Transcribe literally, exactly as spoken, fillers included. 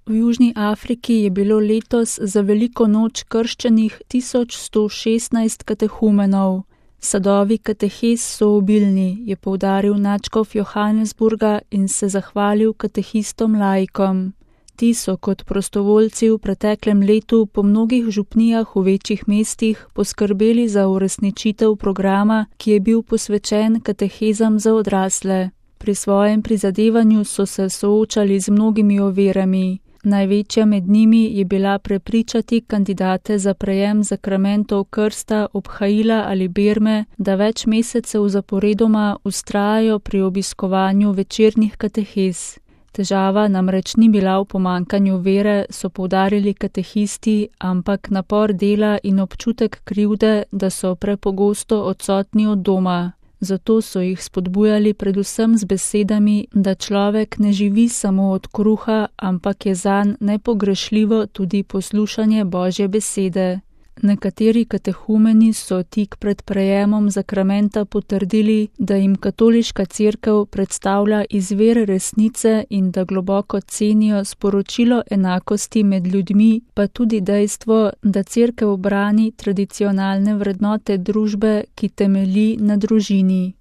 V Južni Afriki je bilo letos za veliko noč krščenih tisoč sto šestnajst katehumenov. Sadovi katehez so obilni, je poudaril nadškof Johannesburga in se zahvalil katehistom laikom. Ti so kot prostovoljci v preteklem letu po mnogih župnijah v večjih mestih poskrbeli za uresničitev programa, ki je bil posvečen katehezam za odrasle. Pri svojem prizadevanju so se soočali z mnogimi ovirami. Največja med njimi je bila prepričati kandidate za prejem zakramentov krsta, obhajila ali berme, da več mesecev zaporedoma vztrajajo pri obiskovanju večernih katehez. Težava namreč ni bila v pomanjkanju vere, so poudarili katehisti, ampak napor dela in občutek krivde, da so prepogosto odsotni od doma. Zato so jih spodbujali predvsem z besedami, da človek ne živi samo od kruha, ampak je zanj nepogrešljivo tudi poslušanje Božje besede. Nekateri katehumeni so tik pred prejemom zakramenta potrdili, da jim katoliška cerkev predstavlja izvir resnice in da globoko cenijo sporočilo enakosti med ljudmi, pa tudi dejstvo, da cerkev brani tradicionalne vrednote družbe, ki temelji na družini.